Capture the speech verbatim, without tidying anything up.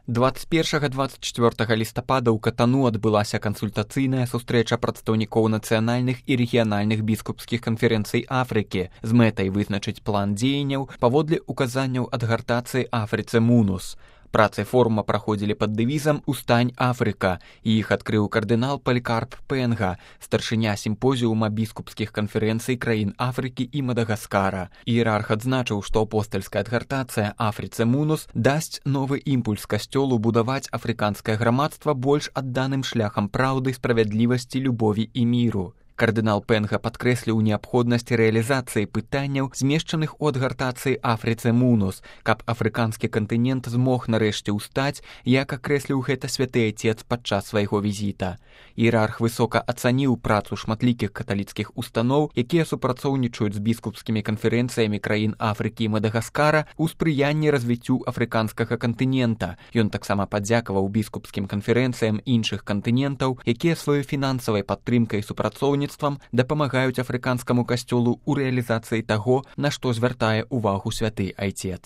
дваццаць першага - дваццаць чацвёртага лістапада ў Катану адбылася кансультацыйная сустрэча прадстаўнікоў нацыянальных і рэгіянальных біскупскіх канферэнцый Афрыкі з мэтай вызначыць план дзеянняў паводле указанняў адгартацыі Афрыцы Мунус. Працы форума праходзілі пад дэвізам «Устань, Афрыка», і іх адкрыў кардынал Палікарп Пенга, старшыня сімпозіума біскупскіх канферэнцый краін Афрыкі і Мадагаскара. Іерарх адзначыў, што апостальская адгартацыя Афрыцы Мунус дасць новы імпульс касцёлу будаваць афрыканскае грамадства больш адданым шляхам праўды, справядлівасці, любові і міру. Кардынал Пенга падкрэсліў неабходнасць рэалізацыі пытанняў, змешчаных у адгартацыі Афрыцы Мунус, каб афрыканскі кантынент змог нарэшце ўстаць, як акрэсліў гэта святы айцец падчас свайго візіта. Іерарх высока ацаніў працу шматлікіх каталіцкіх устаноў, якія супрацоўнічаюць з біскупскімі канферэнцыямі краін Афрыкі і Мадагаскара ў спрыянні развіццю афрыканскага кантынента. Ён таксама падзякаваў біскупскім канферэнцыям іншых кантынентаў, якія сваёй фінансавай падтрымкай і супрацоўніцтвам дапамагаюць афрыканскаму касцёлу ў рэалізацыі таго, на што звяртае ўвагу святы айцец.